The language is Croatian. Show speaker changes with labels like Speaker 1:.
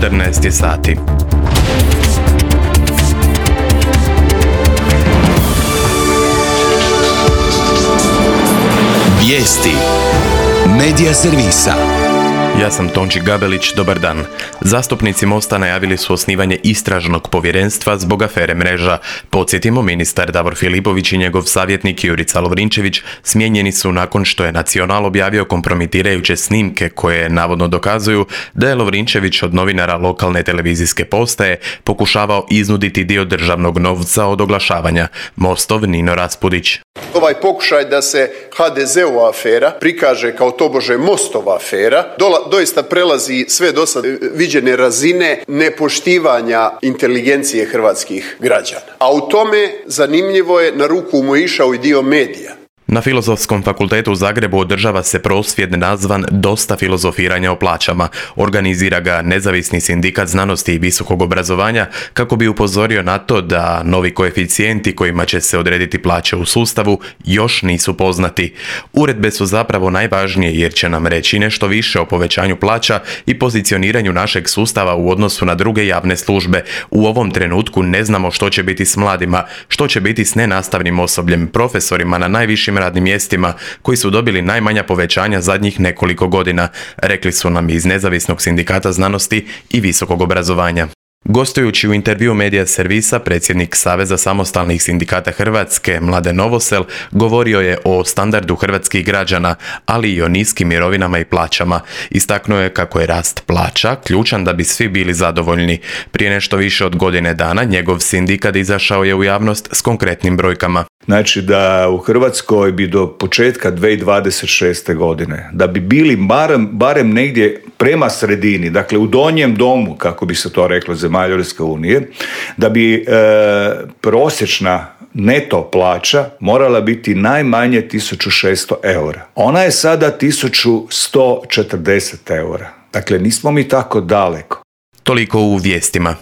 Speaker 1: 14 je sati.
Speaker 2: Vijesti Medija servisa.
Speaker 1: Ja sam Tonči Gabelić, dobar dan. Zastupnici Mosta najavili su osnivanje istražnog povjerenstva zbog afere Mreža. Podsjetimo, ministar Davor Filipović i njegov savjetnik Jurica Lovrinčević smijenjeni su nakon što je Nacional objavio kompromitirajuće snimke koje navodno dokazuju da je Lovrinčević od novinara lokalne televizijske postaje pokušavao iznuditi dio državnog novca od oglašavanja. Mostov Nino Raspudić.
Speaker 3: Ovaj pokušaj da se HDZ-ova afera prikaže kao tobože Mostova afera doista prelazi sve dosad viđene razine nepoštivanja inteligencije hrvatskih građana. A u tome zanimljivo je na ruku mu išao i dio medija.
Speaker 1: Na Filozofskom fakultetu u Zagrebu održava se prosvjed nazvan Dosta filozofiranja o plaćama. Organizira ga Nezavisni sindikat znanosti i visokog obrazovanja kako bi upozorio na to da novi koeficijenti kojima će se odrediti plaće u sustavu još nisu poznati. Uredbe su zapravo najvažnije jer će nam reći nešto više o povećanju plaća i pozicioniranju našeg sustava u odnosu na druge javne službe. U ovom trenutku ne znamo što će biti s mladima, što će biti s nenastavnim osobljem, profesorima na najvišim radnim mjestima koji su dobili najmanja povećanja zadnjih nekoliko godina, rekli su nam iz Nezavisnog sindikata znanosti i visokog obrazovanja. Gostujući u intervju Medija servisa, predsjednik Saveza samostalnih sindikata Hrvatske, Mladen Novosel, govorio je o standardu hrvatskih građana, ali i o niskim mirovinama i plaćama. Istaknuo je kako je rast plaća ključan da bi svi bili zadovoljni. Prije nešto više od godine dana njegov sindikat izašao je u javnost s konkretnim brojkama.
Speaker 4: Znači da u Hrvatskoj bi do početka 2026. godine, da bi bili barem negdje prema sredini, dakle u donjem domu, kako bi se to reklo, zemalja Europske unije, da bi prosječna neto plaća morala biti najmanje 1600 eura. Ona je sada 1140 eura. Dakle, nismo mi tako daleko.
Speaker 1: Toliko u vijestima.